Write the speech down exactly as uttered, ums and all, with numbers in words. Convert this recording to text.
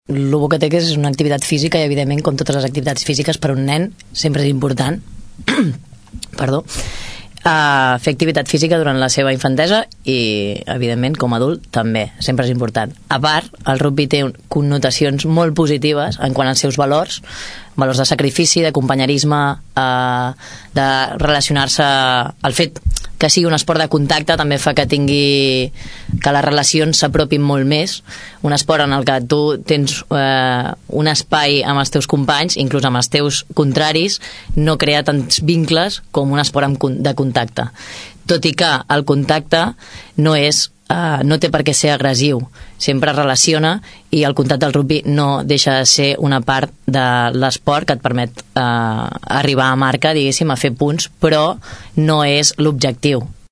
el bo que té que és una activitat física i, evidentment, com totes les activitats físiques, per un nen sempre és important perdó Uh, fer activitat física durant la seva infantesa i, evidentment, com a adult també, sempre és important. A part, el rugby té connotacions molt positives en quant als seus valors, valors de sacrifici, de companyerisme, uh, de relacionar-se. El fet que sigui un esport de contacte també fa que tingui que les relacions s'apropin molt més, un esport en el que tu tens eh, un espai amb els teus companys, inclús amb els teus contraris, no crea tants vincles com un esport de contacte, tot i que el contacte no és Uh, no té per què ser agressiu, sempre es relaciona, i el contacte del rugby no deixa de ser una part de l'esport que et permet uh, arribar a marca, diguéssim, a fer punts, però no és l'objectiu.